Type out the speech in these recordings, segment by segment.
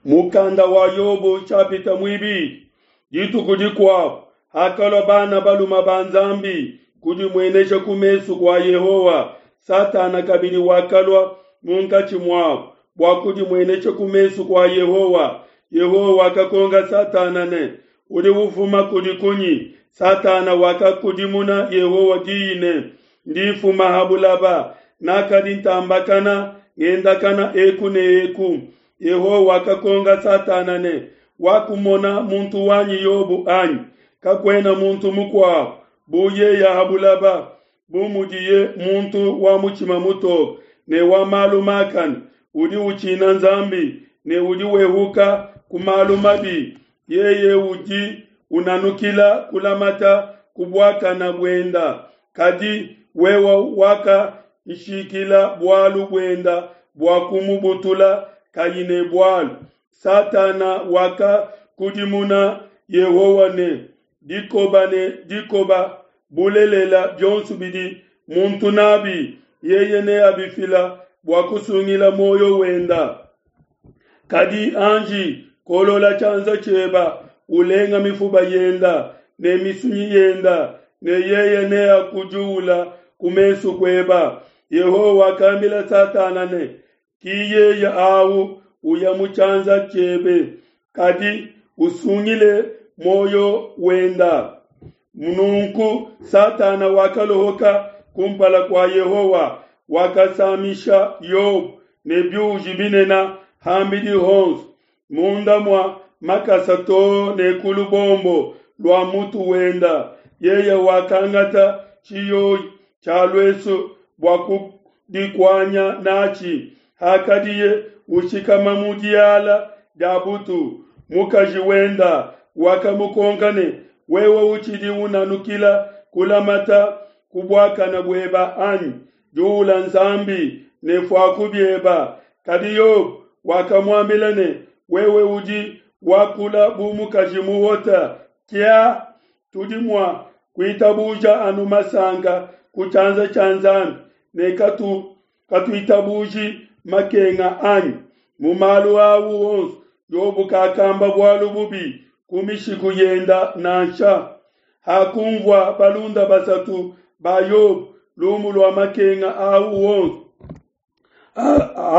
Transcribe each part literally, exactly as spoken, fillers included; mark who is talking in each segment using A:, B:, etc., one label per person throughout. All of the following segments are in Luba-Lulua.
A: Mukanda wa Yobo nshapita muibidi. Dituku dikuabu hakalua bana balume ba Nzambi kudimuenesha ku mesu kua Yehowa, Satana kabidi wakalua munkatshi muabu bua kudimuenesha ku mesu kua Yehowa. Yehowa wakakonka Satana ne, udi ufuma kudi kunyi? Satana wakakudimuna Yehowa diyi ne, ndi mfuma ha bulaba, nakadi ntambakana ngendakana eku ne eku. Yehowa wakakonka Satana ne, wakumona muntu wanyi Yobo anyi? Kakuena muntu mukuabu bu yeye ha bulaba, bu mudiye muntu wa mutshima mutoke ne wa malu makane, udi utshina Nzambi ne udi wehuka ku malu mabi. Yeye udi unanukila kulamata ku buakana buenda, kadi wewe wakanshikila bualu buenda bua kumubutula kayi ne bualu. Satana wakakudimuna Yehowa ne, dikoba ne dikoba, bulelela bionso bidi muntu nabi yeye neabifila bua kusungila muoyo wenda. Kadi anji kolola tshianza tshieba ulenga mifuba yenda ne misunyi yenda, ne yeye neakujuula ku mesu kueba. Yehowa wakambila Satana ne, ki yeye awu uya mu tshianza tshiebe, kadi usungile muoyo wenda. Nunku Satana wakalohoka kumpala kua Yehowa, wakasamisha Yobo ne biuji binene ham'bidi honso, munda mua makasa to ne ku lubombo lua mutu wenda. Yeye wakangata tshiyoyi tshia luesu bua kudikuanya natshi hakadiye ushikama mu diala dia butu. Mukaji wenda wakamukonka ne, wewe utshidi unanukila kulamata ku buakana bueba anyi? Juula Nzambi ne fuaku bieba. Kadi Yobo wakamuambila ne, wewe udi wakula bu mukaji muhota. Kia tudi mua kuitabuja anu masanka ku tshianza tshia Nzambi ne katu katuitabuji makenga anyi? Mu malu awu onso Yobo kakamba bualu bubi ku mishiku yenda nansha. Hakumvua balunda basatu ba Yobo lumu lua makenga awu onso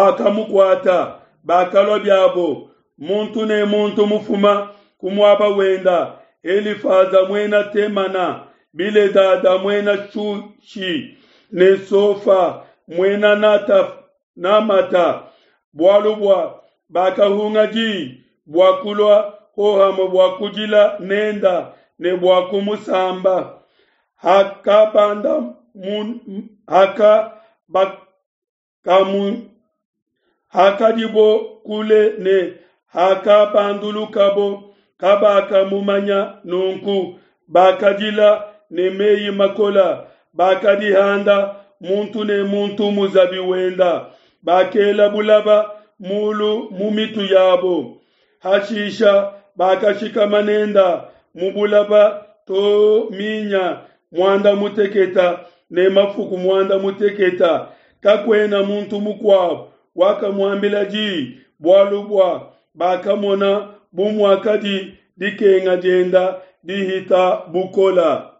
A: akamukuata, bakalua biabo muntu ne muntu mufuma ku muaba wenda. Elifaza muena Temana, Biledada muena Shushi ne Sofa muena Nata, Namata, bualu bua bakahunga diyi bua kulua hohamue bua kudila nenda ne bua kumusamba. Hakabanda mun, haka bakamu, hakadibo kule ne hakabandulukabo, kabakamumanya nunku bakadila ne meyi makola, bakadihanda muntu ne muntu muzabi wenda, bakela bulaba mulu mu mitu yabo. Hashisha bakashikama nenda mu bulaba to minya muanda muteketa ne mafuku muanda muteketa. Kakuena muntu mukuabu wakamuambila diyi, bualu bua bakamona bu muakadi dikenga dienda dihita bukola.